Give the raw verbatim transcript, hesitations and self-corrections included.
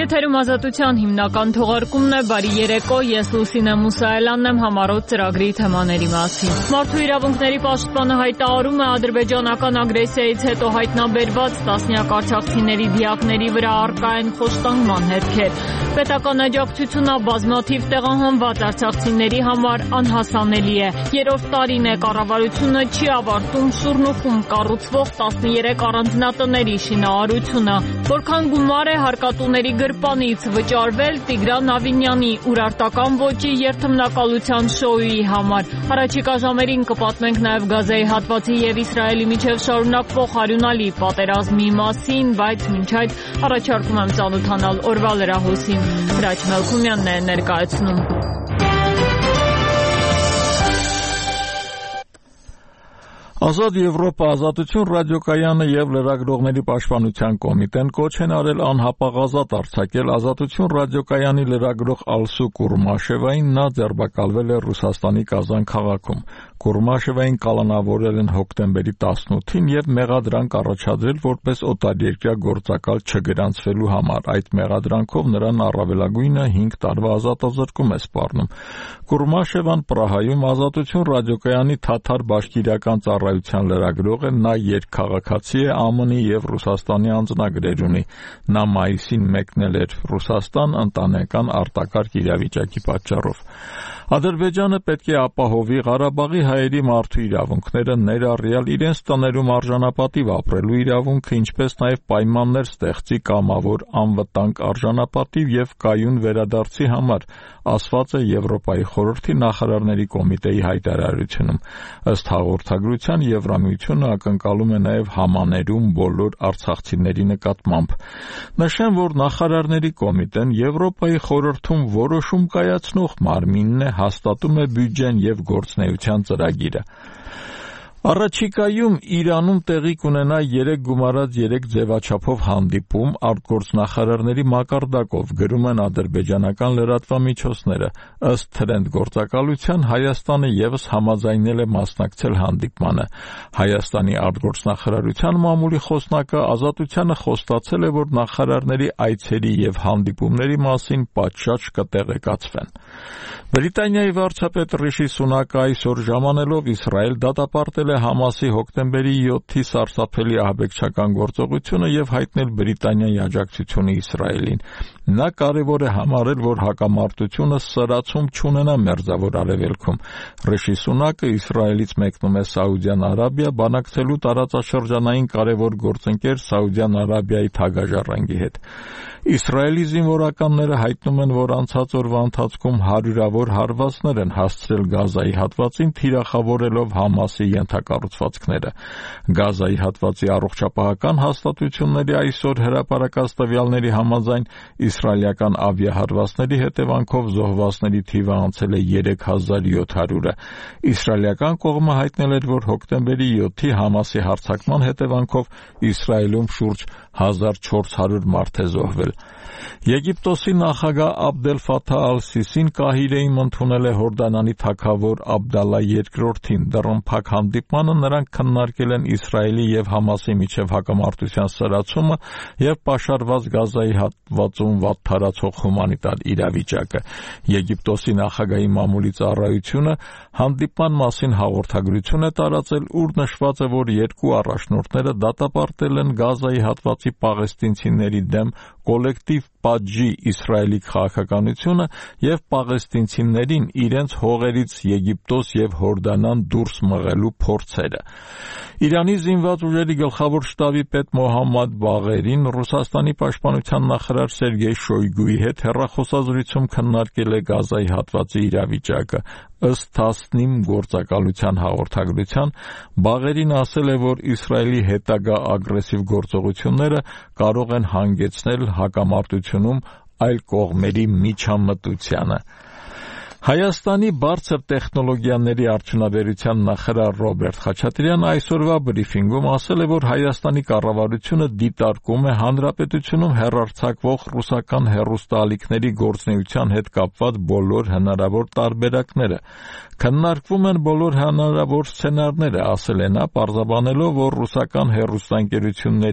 Եթերում Ազատության հիմնական թողարկումն է, բարի երեկո, ես Լուսինե Մուսայելյանն եմ, համառոտ ծրագրի թեմաների մասին։ Մարդու իրավունքների պաշտպանը հայտարարում է ադրբեջանական ագրեսիայից հետո հայտնաբերված տասնյակ արցախցիների դիակների վրա առկա են խոշտանգման հետքեր։ Պետական աջակցությունը բազմաթիվ տեղահանված արցախցիների համար անհասանելի է։ Երրորդ տարին է կառավարությունը չի ավարտում Շուռնուխում կառուցվող տասներեք առանձնատների շինարարությունը։ Որքան գումար է հարկատուների գրպանից վճարվել Տիգրան Ավինյանի ուրարտական ոճի երթմնակալության շոուի համար։ Առաջիկա ժամերին կպատմենք նաև Գազայի հատվածի եւ Իսրայելի միջև շարունակվող հարյունալի պատերազմի մասին, բայց մինչ այդ առաջարկում եմ ծանոթանալ օրվա լրահոսին։ Հրաչ Մելքումյանն է ներկայացնում։ Ազատ Եվրոպա, Ազատություն ռադիոկայանը եւ Լրագրողների պաշտպանության կոմիտեն կոչ են արել անհապաղ ազատ արձակել Ազատություն ռադիոկայանի լրագրող Ալսու Կուրմաշևային, նա ձերբակալվել է Ռուսաստանի Կազան քաղաքում։ Կուրմաշևային կալանավորել են հոկտեմբերի տասնութին եւ մեղադրանք առաջադրել որպես օտարերկրյա գործակալ չգրանցվելու համար։ Այդ մեղադրանքով նրան առավելագույնը հինգ տարվա ազատազրկում է սպառնում։ Կուրմաշևան Պրահայում Ազատություն ռադիոկայանի թաթար բաշկիրական ծառայության լրագրող է, նա երկքաղաքացի է, ԱՄՆ-ի եւ Ռուսաստանի անձնագրեր ունի։ Նա մայիսին մեկնել էր Ռուսաստան ընտանեկան արտակարգ իրավիճակի պատճառով։ Ադրբեջանը պետք է ապահովի Ղարաբաղի հայերի մարդու իրավունքները, ներառյալ իրենց տներում արժանապատիվ ապրելու իրավունքը, ինչպես նաև պայմաններ ստեղծի կամավոր, անվտանգ, արժանապատիվ եւ կայուն վերադարձի համար, ասված է Եվրոպայի խորհրդի նախարարների կոմիտեի հայտարարությունում։ Ըստ հաղորդագրության Եվրամիությունը ակնկալում է նաև համաներում բոլոր արցախցիների նկատմամբ։ Նշեմ, որ նախարարների կոմիտեն Եվրոպայի խորհրդում որոշում կայացնող մարմինն է, հաստատում է բյուջեն եւ գործնեայության ծրագիրը։ Առաջիկայում Իրանում տեղի կունենա երեք գումարած երեք ձևաչափով հանդիպում արտգործնախարարների մակարդակով, գրում են ադրբեջանական լրատվամիջոցները։ Ըստ թրենդ գործակալության Հայաստանը եւս համաձայնել է մասնակցել հանդիպմանը։ Հայաստանի արտգործնախարարության մամուլի խոսնակը Ազատությանը խոստացել է, որ նախարարների այցերի եւ հանդիպումների մասին պատշաճ կտեղեկացվեն։ Բրիտանիայի վարչապետ Ռիշի Սունակը այսօր ժամանելով Իսրայել դատապարտել է Համասի հոկտեմբերի յոթի սարսափելի ահաբեկչական գործողությունը եւ հայտնել Բրիտանիայի աջակցությունը Իսրայելին։ Նա կարևոր է համարել, որ հակամարտությունը սրացում չունենա Մերձավոր Արևելքում։ Ռիշի Սունակը Իսրայելից մեկնում է Սաուդյան Արաբիա բանակցելու տարածաշրջանային կարևոր գործընկեր Սաուդյան Արաբիայի թագաժառանգի հետ։ Իսրայելի զինվորականները հայտնում են, որ անցած օրվա ընթացքում հարյուրավոր հարվածներ են հասցրել Գազայի հատվածին, թիրախավորելով Համասի ենթակառուցվածքները։ Գազայի հատվածի առողջապահական հաստատությունների այսօր հրապարակած տվյալների համաձայն իսրայելական ավիահարվածների հետևանքով զոհվածների թիվը անցել է երեք հազար յոթ հարյուրը։ Իսրայելական կողմը հայտնել էր, որ հոկտեմբերի յոթի Համասի հարձակման հետևանքով Իսրայելում շուրջ հազար չորս հարյուր մարդ է զոհվել։ Եգիպտոսի նախագահ Աբդել Ֆաթահ ալ-Սիսին Կահիրեում ընդունել է Հորդանանի թագավոր Աբդալլա երկրորդին։ Դռնփակ հանդիպմանը նրանք քննարկել են Իսրայելի եւ Համասի միջև հակամարտության սրացումը եւ պաշարված Գազայի հատվածում վատթարացող հումանիտար իրավիճակը։ Եգիպտոսի նախագահի մամուլի ծառայությունը հանդիպման մասին հաղորդագրություն է տարածել, ուր նշված է, որ երկու առաջնորդները դատապարտել են Գազայի հատվածի պաղեստինցիների դեմ կոլեկտիվ պատժի Իսրայելի քաղաքականությունը եւ պաղեստինցիներին իրենց հողերից Եգիպտոս եւ Հորդանան դուրս մղելու փորձերը։ Իրանի զինված ուժերի գլխավոր շտաբի պետ Մոհամմադ Բաղերին Ռուսաստանի պաշտպանության նախարար Սերգեյ Շոյգուի հետ հեռախոսազրույցում քննարկել է Գազայի հատվածի իրավիճակը։ Ըստ Թասնիմ գործակալության հաղորդագրության Բաղերին ասել է, որ Իսրայելի հետագա ագրեսիվ գործողությունները կարող են հանգեցնել հակամարտությունում այլ կողմերի միջամտությանը։ Հայաստանի բարձր տեխնոլոգիաների արդյունաբերության նախարար Ռոբերտ Խաչատրյանը այսօրվա բրիֆինգում ասել է, որ Հայաստանի կառավարությունը դիտարկում է հանրապետությունում հեռարձակվող ռուսական հեռուստաալիքների գործունեության հետ կապված բոլոր հնարավոր տարբերակները։ Քննարկվում են բոլոր հնարավոր սցենարները, ասել է նա, պարզաբանելով, որ ռուսական հեռուստաընկերությունների